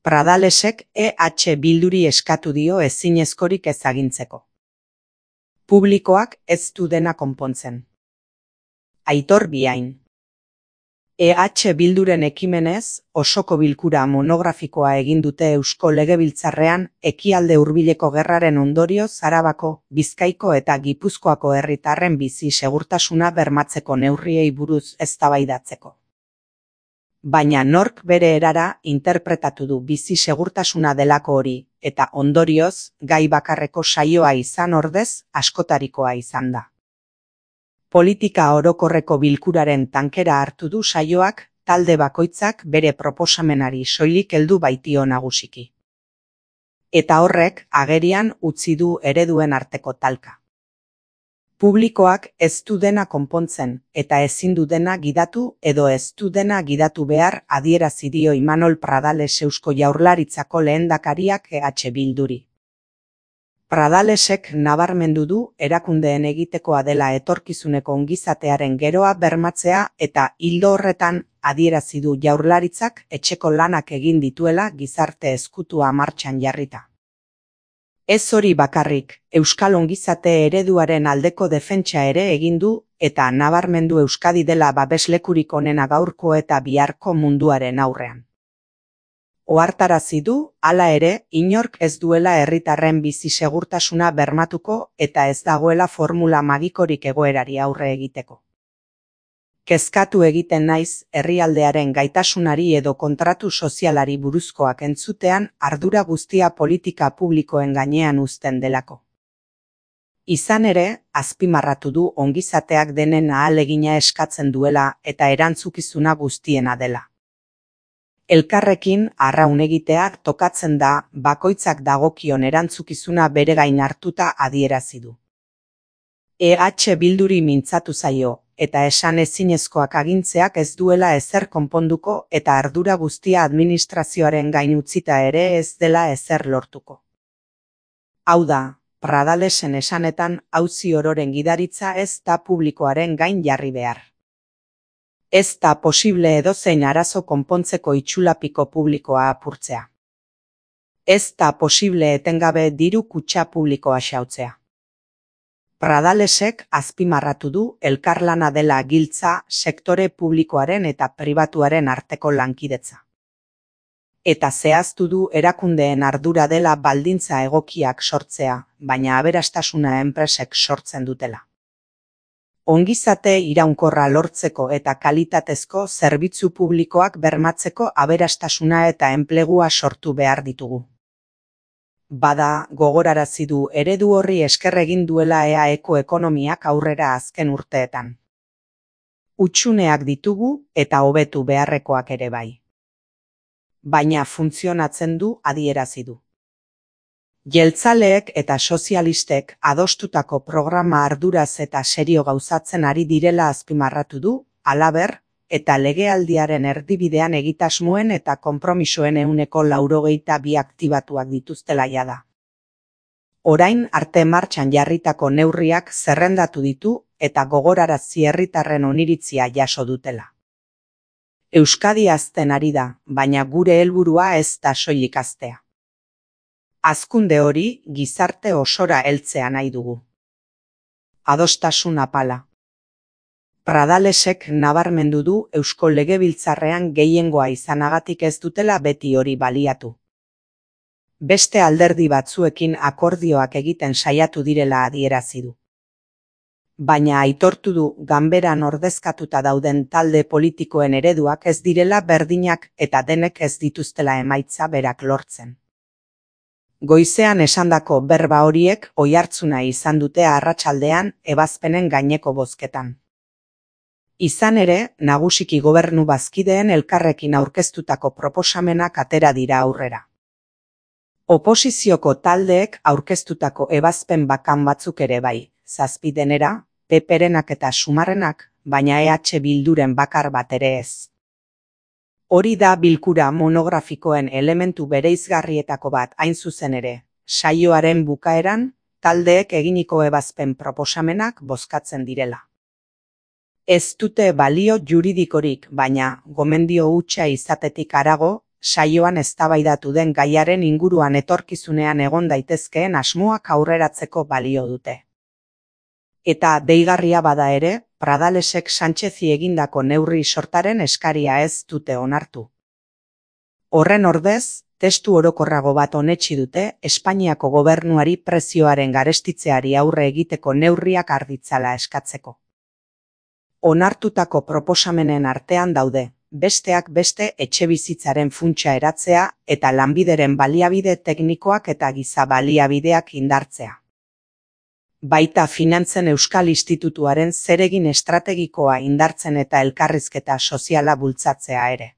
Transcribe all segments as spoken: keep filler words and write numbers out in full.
Pradalesek E H Bilduri eskatu dio ezinezkorik ez agintzeko. Publikoak ez du dena konpontzen. Aitor Biain. E H Bilduren ekimenez, osoko bilkura monografikoa egin dute Eusko Legebiltzarrean Ekialde Hurbileko gerraren ondorioz Arabako, Bizkaiko eta Gipuzkoako herritarren bizi segurtasuna bermatzeko neurriei buruz eztabaidatzeko. Baina nork bere erara interpretatu du bizi segurtasuna delako hori, eta ondorioz, gai bakarreko saioa izan ordez, askotarikoa izan da. Politika orokorreko bilkuraren tankera hartu du saioak, talde bakoitzak bere proposamenari soilik heldu baitio nagusiki. Eta horrek agerian utzi du ereduen arteko talka. Publikoak ez du dena konpontzen, eta ezin du dena gidatu edo ez du dena gidatu behar adierazi dio Imanol Pradales Eusko Jaurlaritzako lehendakariak E H Bilduri. Pradalesek nabarmendu du erakundeen egitekoa dela etorkizuneko ongizatearen geroa bermatzea eta ildo horretan adierazi du Jaurlaritzak etxeko lanak egin dituela gizarte ezkutua martxan jarrita. Ez hori bakarrik, euskal ongizate ereduaren aldeko defentsa ere egin du eta nabarmendu Euskadi dela babeslekurik onena gaurko eta biharko munduaren aurrean. Ohartarazi du, hala ere, inork ez duela herritarren bizi segurtasuna bermatuko eta ez dagoela formula magikorik egoerari aurre egiteko. Kezkatu egiten naiz herrialdearen gaitasunari edo kontratu sozialari buruzkoak entzutean ardura guztia politika publikoen gainean uzten delako. Izan ere, azpimarratu du ongizateak denen ahalegina eskatzen duela eta erantzukizuna guztiena dela. Elkarrekin arraun egiteak tokatzen da bakoitzak dagokion erantzukizuna bere gain hartuta adierazi du. E H Bilduri mintzatu zaio, eta esan ezinezkoak agintzeak ez duela ezer konponduko eta ardura guztia administrazioaren gain utzita ere ez dela ezer lortuko. Hau da, Pradalesen esanetan auzi ororen gidaritza ez da publikoaren gain jarri behar. Ez da posible edozein arazo konpontzeko itxulapiko publikoa apurtzea. Ez da posible etengabe diru kutxa publikoa xautzea. Pradalesek azpimarratu du elkarlana dela giltza sektore publikoaren eta pribatuaren arteko lankidetza. Eta zehaztu du erakundeen ardura dela baldintza egokiak sortzea, baina aberastasuna enpresek sortzen dutela. Ongizate iraunkorra lortzeko eta kalitatezko zerbitzu publikoak bermatzeko aberastasuna eta enplegua sortu behar ditugu. Bada, gogorarazi du eredu horri esker egin duela E A Eko ekonomiak aurrera azken urteetan. Hutsuneak ditugu eta hobetu beharrekoak ere bai. Baina funtzionatzen du adierazi du. Jeltzaleek eta sozialistek adostutako programa arduraz eta serio gauzatzen ari direla azpimarratu du, halaber, eta legealdiaren erdibidean egitasmoen eta konpromisoen ehuneko laurogeita bi aktibatuak dituztela jada. Orain arte martxan jarritako neurriak zerrendatu ditu eta gogorarazi herritarren oniritzia jaso dutela. Euskadi hazten ari da, baina gure helburua ez da soilik haztea. Hazkunde hori gizarte osora heltzea nahi dugu. Adostasun apala. Pradalesek nabarmendu du Eusko Legebiltzarrean gehiengoa izanagatik ez dutela beti hori baliatu. Beste alderdi batzuekin akordioak egiten saiatu direla adierazi du. Baina aitortu du ganberan ordezkatuta dauden talde politikoen ereduak ez direla berdinak eta denek ez dituztela emaitza berak lortzen. Goizean esandako berba horiek oihartzuna izan dute arratsaldean ebazpenen gaineko bozketan. Izan ere, nagusiki gobernu bazkideen elkarrekin aurkeztutako proposamenak atera dira aurrera. Oposizioko taldeek aurkeztutako ebazpen bakan batzuk ere bai, zazpi denera, Peperenak eta Sumarrenak, baina E H Bilduren bakar bat ere ez. Hori da bilkura monografikoen elementu bereizgarrietako bat hain zuzen ere, saioaren bukaeran, taldeek eginiko ebazpen proposamenak bozkatzen direla. Ez dute balio juridikorik, baina gomendio hutsa izatetik harago, saioan eztabaidatu den gaiaren inguruan etorkizunean egon daitezkeen asmoak aurreratzeko balio dute. Eta deigarria bada ere, Pradalesek Sánchezi egindako neurri sortaren eskaria ez dute onartu. Horren ordez, testu orokorrago bat onetsi dute Espainiako gobernuari prezioaren garestitzeari aurre egiteko neurriak har ditzala eskatzeko. Onartutako proposamenen artean daude, besteak beste etxebizitzaren funtsa eratzea eta lanbideren baliabide teknikoak eta giza baliabideak indartzea. Baita Finantzen Euskal Institutuaren zeregin estrategikoa indartzen eta elkarrizketa soziala bultzatzea ere.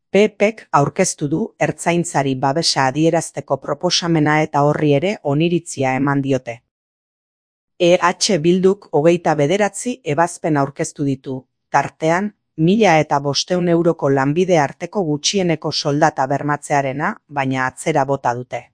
P Pek aurkeztu du ertzaintzari babesa adierazteko proposamena eta horri ere oniritzia eman diote. E H Bilduk hogeita bederatzi ebazpen aurkeztu ditu, tartean, mila eta bostehun euroko lanbide arteko gutxieneko soldata bermatzearena, baina atzera bota dute.